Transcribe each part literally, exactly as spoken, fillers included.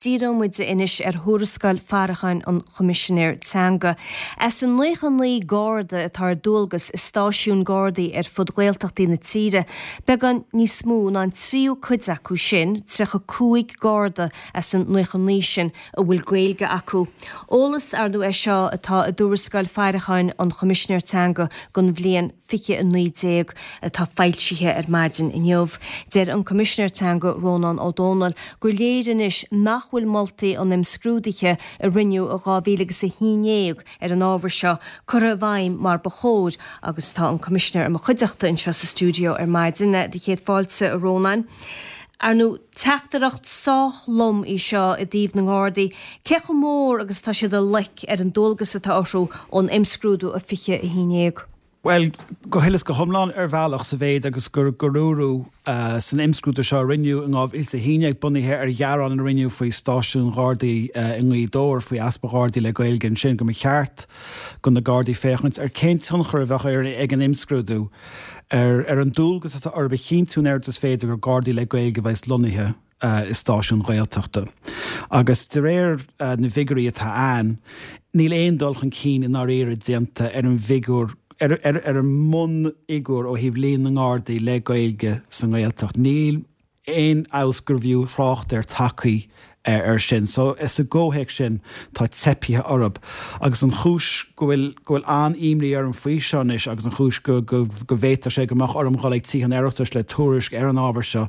Díreoidh muid anois ar thuarascáil faireacháin an Choimisinéir Teanga. As an nócha naoi Garda atá ar dualgas i stáisiúin Gardaí ar fud Ghaeltachtaí na tíre, beagán níos mó ná an tríú cuid acu sin, tríocha cúig Garda as an nócha naoi sin, a bhfuil Gaeilge acu. Eolas ar ndóigh é seo atá i dtuarascáil faireacháin an Choimisinéir Teanga don bhliain fiche a naoi déag atá foilsithe ar maidin inniu. Deir an Coimisinéir Teanga Rónán Ó Domhnaill gur léir anois nach bhfuil moltaí an imscrúdaithe a rinneadh i dhá mhíle agus a haon déag ar an ábhar seo curtha i bhfeidhm mar ba chóir agus tá an Coimisinéir i mo chuideachta anseo sa stiúideo ar maidin. Do chéad fáilte, a Rónáin. Ar ndóigh, teachtaireacht sách lom í seo i dtaobh na nGardaí, cé chomh mór agus atá siad i loic ar an dualgas atá orthu ón imscrúdú i fiche a haon déag? Bhuel, go huile is go hiomlán ar bhealach, sa mhéid agus gur gur dúradh san imscrúdú seo a rinneadh in dhá mhíle is a haon déag, bunaithe ar ghearán a rinneadh faoi stáisiún Ghardaí i nGaoth Dobhair, faoi easpa Ghardaí le Gaeilge ansin, go mba cheart do na Gardaí féachaint ar cén tionchar a bheadh ag an imscrúdú ar ar an dualgas atá orthu a chinntiú an oiread is féidir gur Gardaí le Gaeilge a bheas lonnaithe i stáisiún Ghaeltachta. Agus de réir na bhfigiúirí atá ann, níl aon dul chun cinn i ndáiríre déanta ar an bhfigiúr, ar ar an mbunfhigiúr ó thaobh líon na nGardaí le Gaeilge sa nGaeltacht. Níl aon fheabhas gurbh fhiú thrácht air tagtha air sin. So, sa gcomhthéacs sin, tá teipthe orthu. Agus an chúis go bhfuil go bhfuil an-imní orm faoi seo anois agus an chúis go go go bhféadfadh sé go mbeadh orm dhul ag Tithe an Oireachtais le tuairisc ar an ábhar seo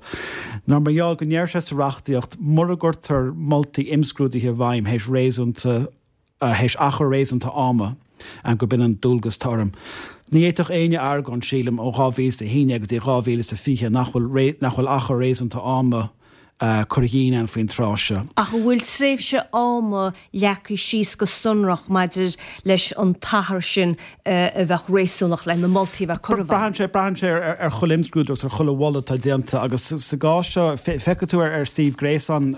ná mar gheall go ndeir sé sa reachtaíocht mura gcuirtear moltaí imscrúdaithe i bhfeidhm théis réasúnta théis achar réasúnta ama gurb in an dualgas atá orm. Ní fhéadfadh éinne argóint, sílim, ó dhá mhíle is a haon déag go dtí dhá mhíle is a fiche nach bhfuil nach bhfuil achar réasúnta ama curtha dínn ann faoin tráth seo. Ach an bhfuil tréimhse ama leagtha síos go sonrach maidir leis an t-achar sin a bheadh réasúnach le na moltaí a bheith curtha i bhfeidhm? Braitheann sé, braitheann sé ar chuile imscrúdú agus ar chuile mholadh atá déanta agus sa gcás seo, feicfidh tú ar suíomh gréasáin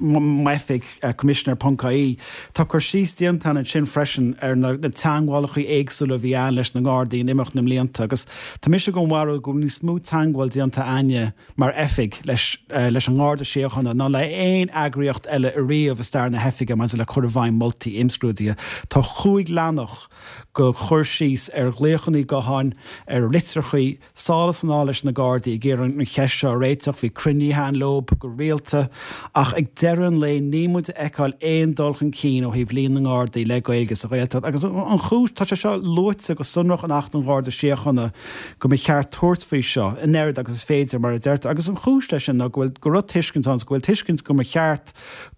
m'oifig, commissioner ponc ie, tá cur síos déanta ann ansin freisin ar na teagmhálacha éagsúla a bhí ann leis na nGardaí in imeacht na mblianta agus tá mise den bharúil go bhfuil níos mó teagmháil déanta a'inne mar oifig leis leis an nGarda Síochána ná le haon eagraíocht eile ariamh i stair na hoifige maidir le cur i bhfeidhm moltaí imscrúdaithe. Tá chúig leathanach de chur síos ar ghlaochanna gutháin, ar litreachaí, sall is anall leis na Gardaí ag iarraidh an cheist seo a réiteach. Bhí cruinnithe ann leob go rialta ach ag deireadh an lae níl muid ag feiceáil aon dul chun cinn ó thaobh líon na nGardaí le Gaeilge sa Ghaeltacht. Agus an chúis, tá sé seo luaite go sonrach in Acht an Gharda Síochána go mba cheart tabhairt faoi seo an oiread agus is féidir, mar a deirtear. Agus an chúis leis sin ná go bhfuil, go raibh tuiscint ann, go bhfuil tuiscint go mba cheart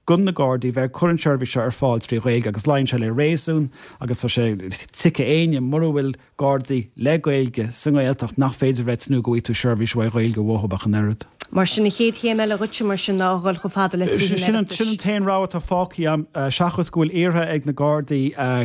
do na Gardaí bheith ag cur an tseirbhís seo ar fáil trí Ghaeilge agus luíonn sé le réasún agus tá sé tuigthe éinne mura bhfuil Gardaí le Gaeilge sa nGaeltacht nach féidir bheith ag tnúth go bhfaighidh tú seirbhís mhaith Ghaeilge uathu ach an oiread. Mar sin, an chéad chéim eile dhuitse mar sin ná a dhul chomh fada le Tithe an Oireachtais. Sin an t-aon rogha atá fágtha agam, seachas go bhfuil iarrtha ag na Gardaí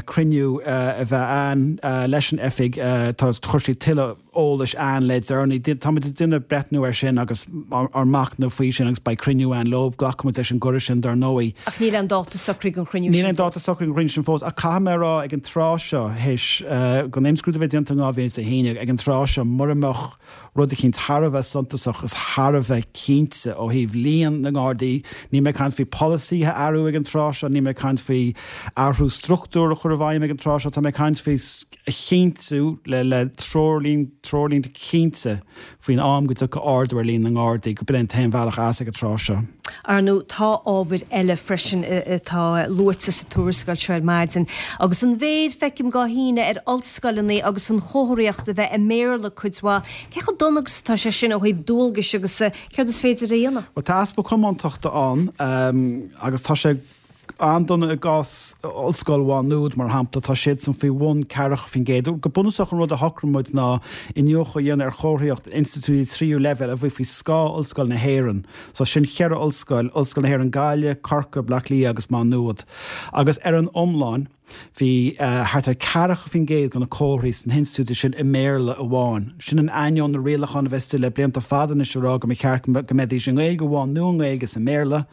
cruinniú a bheith ann leis an oifig. Tá, chuir siad tuilleadh eolais ann le deireanaí. Táimid ag déanamh breithniú air sin agus ár machnamh faoi sin agus beidh cruinniú ann leo. Glacfaimid leis an gcuireadh sin dar ndóigh. Ach níl aon dáta socraithe don chruinniú sin fós. Níl aon dáta socraithe don chruinniú sin fós ach caithfidh mé a rá ag an tráth seo, théis don imscrúdú a bheith déanta in dhá mhíle is a haon déag, ag an tráth seo, mura mbeadh rud eicínt thar a bheith suntasach is thar a bheith cinnte ó thaobh líon na nGardaí. Níl mé ag caint faoi polasaithe a athrú ag an tráth seo, níl mé ag caint faoi athrú struchtúr a chur i bhfeidhm ag an tráth seo, tá mé ag caint faoi a chinntiú le le treoirlínte cinnte faoin am go dtiocfaidh ardú ar líon na nGardaí, gurb in é an t-aon bhealach as ag an tráth seo. Ar ndóigh, tá ábhair eile freisin atá luaite sa tuarascáil seo ar maidin. Agus an mhéar, feicim dhá shíneadh ar ollscoileanna agus an chomharthaíocht a bheith i mBéarla cuid mhaith. Cé chomh dona agus atá sé sin ó thaobh dualgais agus céard is féidir a dhéanamh? Bhuel, tá easpa comóntachta ann agus tá sé an-dona i gcás Ollscoil Mhá Nuad, mar shampla, tá siadsan faoi bhun ceathracha faoin gcéad. Go bunúsach an rud a shocraigh muid ná iniúchadh a dhéanamh ar chomharthaíocht institiúidí tríú leibhéal a bhí faoi scáth Ollscoil na hÉireann. So sin cheithre ollscoil, Ollscoil na hÉireann Gaillimh, Corcaigh, Bleá Cliath agus Má Nuad. Agus ar an iomlán, bhí thart ar ceathracha faoin gcéad de na comharthaí sna hinstitiúidí sin i mBéarla amháin. Sin in ainneoin na rialachán a bheith istigh le blianta fada anois a rá go mba cheart go mbeidís i nGaeilge amháin nó i nGaeilge is i mBéarla.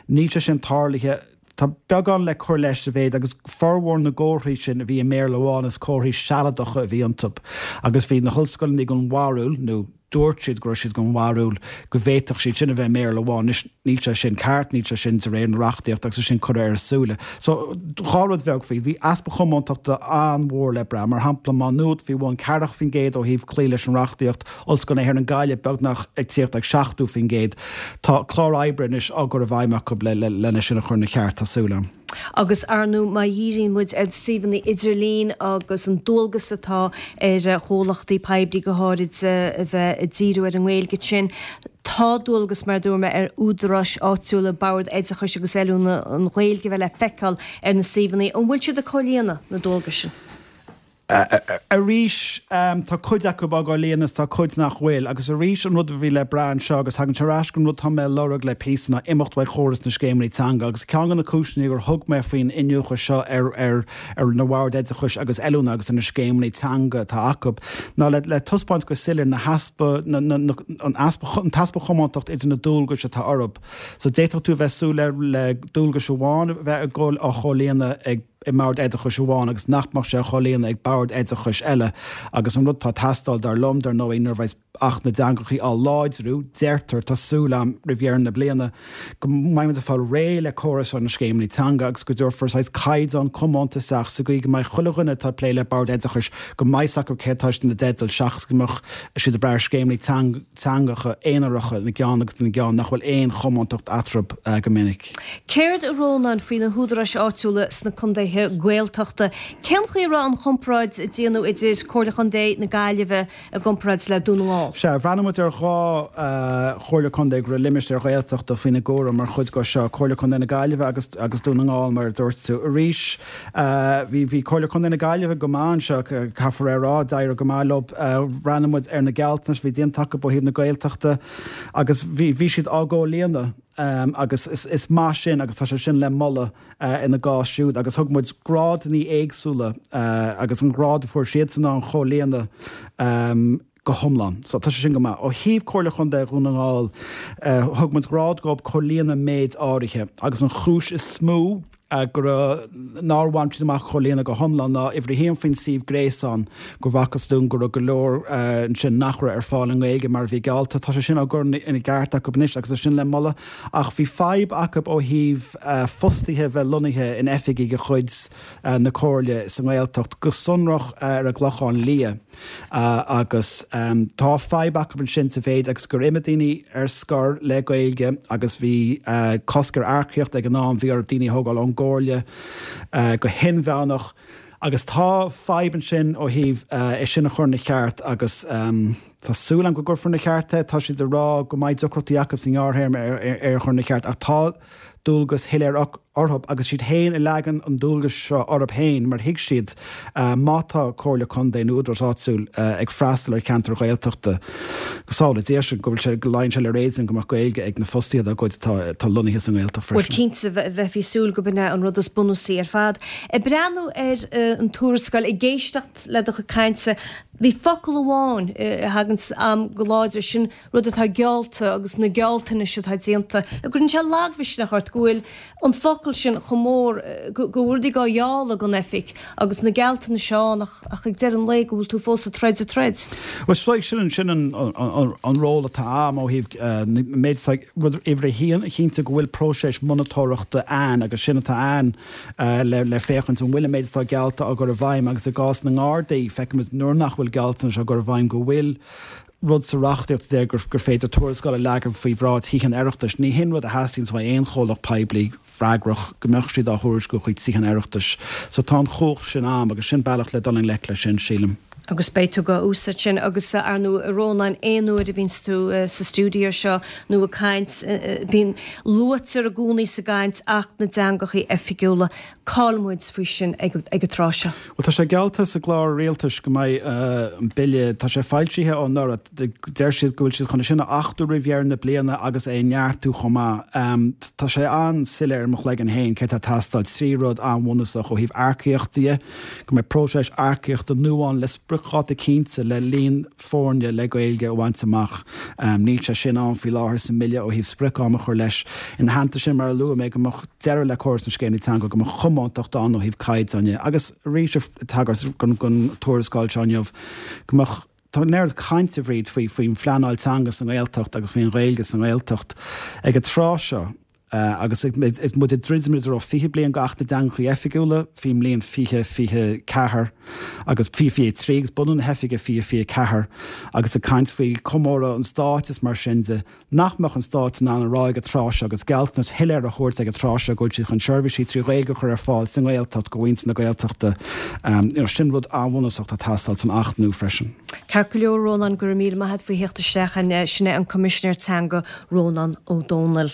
Níl sé sin tarlaithe. Tá beagán le cur leis sa mhéid agus formhór na gcomharthaí sin a bhí i mBéarla amháin is comharthaí sealadacha a bhí iontu agus bhí na hollscoileanna den bharúil, nó dúirt siad go raibh siad den bharúil go bhféadfadh siad sin a bheith i mBéarla amháin. Anois, níl sé sin ceart, níl sé sin de réir na reachtaíochta agus é sin curtha ar a súile. So, dhá rud bheag faoi. Bhí easpa comóntachta an-mhór le brath. Mar shampla, Má Nuad faoi bhun ceathracha faoin gcéad ó thaobh cloí leis an reachtaíocht, Ollscoil na hÉireann Gaillimh beagnach ag tíocht ag seachtó faoin gcéad. Tá clár oibre anois á gcur i bhfeidhm acu lena sin a chur ina cheart, tá súil agam. Agus ar ndóigh má dhíríonn muid ar suíomhanna idirlín agus an dualgas atá ar chomhlachtaí poiblí go háirid a bheith ag díriú ar an nGaeilge sin, tá dualgas mar a dúirt mé ar údaráis áitiúla, Bord Oideachais agus Oiliúna an Ghaeilge a bheith le feiceáil ar na suíomhanna. An bhfuil siad ag comhlíonadh na dualgais sin? Arís, tá cuid acu á gcomhlíonadh is tá cuid nach bhfuil. Agus arís, an rud a bhí le brath anseo, agus tagann sé ar ais gon rud tá mé a lorg le píosa, ná imeacht uaidh chóras na scéimeanna teanga. Agus ceann de na cúiseanna gur thug mé faoin iniúchadh seo ar ar ar na Bhoird Oideachais agus Oiliúna agus ar na scéimeanna teanga atá acu, ná le le taispeáint go soiléir na heaspa na na na an easpa an t-easpa chomóntacht idir na dualgais atá orthu. So d'fhéadfadh tú a bheith súil le le dualgais amháin a bheith ag dul á chomhlíonadh ag i mbord oideachais amháin agus nach mbeadh sé á chomhlíonadh ag bord oideachais eile agus an rud atá ag teastáil, dar liom, dar ndóigh, nuair a bheas Acht na dTeangachaí á láidriú, deirtear, tá súil agam, roimh dheireadh na bliana, go mbeidh muid ag fáil réidh le córas seo na scéimeanna teanga agus go dtabharfar saghas caighdeán comónta isteach sa gcaoi go mbeidh chuile dhuine atá ag plé le bord oideachais, go mbeidh 's acu céard atá siad ina dteideal seachas go mbeadh siad ag brath ar scéimeanna teangacha aonaracha ina gceann agus ina gceann nach bhfuil aon chomóntacht eatarthu go minic. Céard a Rónáin faoi na húdaráis áitiúla sna contaetha Gaeltachta? Cén chaoi a raibh an chomparáid a déanadh idir Comhairle Chontae na Gaillimhe i gcomparáid le Dún na nGall? Sea, bhreathnaigh muid ar dhá Chomhairle Contae go raibh limistéir Ghaeltachta faoina gcúram mar chuid de seo, Comhairle Contae na Gaillimhe agus agus Dún na nGall mar a dúirt tú. Arís, bhí bhí Comhairle Contae na Gaillimhe go maith anseo, caithfear a rá, d'éirigh go maith leo. Bhreathnaigh muid ar na gealltanais a bhí déanta acu ó thaobh na Gaeltachta agus bhí bhí siad á gcomhlíonadh. Agus is maith sin agus tá sé sin le moladh ina gcás siúd. Agus thug muid grádanna éagsúla agus an grád a fuair siadsan ná an chomhlíonadh go hiomlán. So tá sé sin go maith. Ó thaobh Comhairle Chontae Dhún na nGall, thug muid grád dhóibh comhlíonadh méid áirithe agus an chúis is mó, go raibh, nár bhain siad amach comhlíonadh go hiomlán ná uimhir a haon faoin suíomh gréasáin, go bhfacthas dúinn go raibh go leor ansin nach raibh ar fáil i nGaeilge mar a bhí geallta. Tá sé sin á gcur ina gceart acu anois agus tá sin le moladh. Ach bhí fadhb acu ó thaobh fostaithe a bheith lonnaithe in oifigí de chuid na Comhairle sa nGaeltacht, go sonrach ar an gClochán Liath. Agus tá fadhb acu ansin sa mhéid agus gur imigh daoine ar scor le Gaeilge agus bhí cosc ar earcaíocht ag an am, bhí orthu daoine a thógáil ón gComhairle go hinmheánach agus tá fadhb ansin ó thaobh é sin a chur ina cheart agus tá súil agam go gcuirfear ina cheart é. Tá siad ag rá go mbeidh deacrachtaí acu sa ngearrthéarma é a chur ina cheart ach tá dualgas shoiléir orthu agus siad féin a leagann an dualgas seo orthu féin mar thuig siad má tá Comhairle Contae nó údarás áitiúil ag freastal ar cheantar Ghaeltachta go sábhála Dia sinn go bhfuil sé go luíonn sé le réasún go mbeadh Gaeilge ag na fostaithe dá gcuid atá atá lonnaithe sa nGaeltacht Bhuel freisin. cinnte bheifí ag súil go b'in é an rud is bunúsaí ar fad. Ag breathnú ar an tuarascáil, ag éisteacht le do chuid cainte, bhí focal amháin a thaganns a'm go láidir, sin rud atá geallta agus na gealltanais atá déanta. An gcuireann sé lagmhisneach ort go bhfuil an focal sin chomh mór, go bhfuil rudaí á ghealladh gon oifig agus na gealltanais ann ach ach ag deireadh an lae go bhfuil tú fós ag troid ag troid. Bhuel so sin sin an an ról atá a'm ó thaobh an méid atá rud uimhir a haon a chinntiú go bhfuil próiseas monatóireachta ann agus sin atá ann le le féachaint an bhfuil an méid atá geallta á gcur i bhfeidhm agus i gcás na nGardaí feicimid nuair nach bhfuil gealltanais á gcur i bhfeidhm go bhfuil rud sa reachtaíocht a deir gur gur féidir tuarascáil a leagan faoi bhráid Thithe an Oireachtais. Ní hin rud a theastaíonns uaidh aon chomhlacht poiblí freagrach go mbeadh siad á thuairisciú chuig Tithe an Oireachtais. So tá an chumhacht sin a'm agus sin bealach le dul i ngleic leis sin, sílim. Agus beidh tú dhá úsáid sin agus ar ndóigh a Rónáin aon uair a bhíonns tú sa stiúideo seo nó ag caint bíonn, luaitear i gcónaí sa gcaint Acht na dTeangachaí Oifigiúla. Cá'il muid faoi sin ag an tráth seo? Bhuel, tá sé geallta sa gclár rialtais go mbeidh an bille, tá sé foilsithe ó anuraidh, deir siad go bhfuil siad chun é sin a achtú roimh dheireadh na bliana agus é a neartú chomh maith. Tá sé an-soiléir i mo chloigeann féin céard atá ag teastáil, trí rud an-bhunúsach ó thaobh earcaíochta de, go mbeidh próiseas earcaíochta nua ann le spriocdháta cinnte le líon foirne le Gaeilge a bhaint amach. Níl sé sin ann faoi láthair sa mbille ó thaobh sprioc-am a chur leis. Ina theannta sin, mar a luaigh mé, go mbeadh deireadh le córas na scéimeanna teanga, go mbeadh comóntacht ann ó thaobh caighdeáin de agus arís ag tagairt don tuarascáil seo inniu, go mbeadh Tá an oiread cainte, a Bhríd, faoi faoin phleanáil teanga sa nGaeltacht agus faoin Ghaeilge sa nGaeltacht ag an tráth seo agus ag muid ag druidim i dtreo fiche bliain d'Acht na dTeangacha Oifigiúla faoin mbliain fiche fiche ceathair agus fiche fiche trí agus bunú na hoifige fiche fiche ceathair agus ag caint faoi chomóradh an stáit is mar sin de, nach mbeadh an Stát in ann a rá ag an tráth seo agus gealltanas shoiléir a thabhairt ag an tráth seo go bhfuil siad chun seirbhísí trí Ghaeilge a chur ar fáil sa nGaeltacht do mhuintir na Gaeltachta. You know, sin rud an-bhunúsach atá ag teastáil san Acht nua freisin. Ceart go leor, Rónán, go raibh míle maith agat faoi theacht isteach. Sin é an Coimisinéir Teanga, Rónán Ó Domhnaill.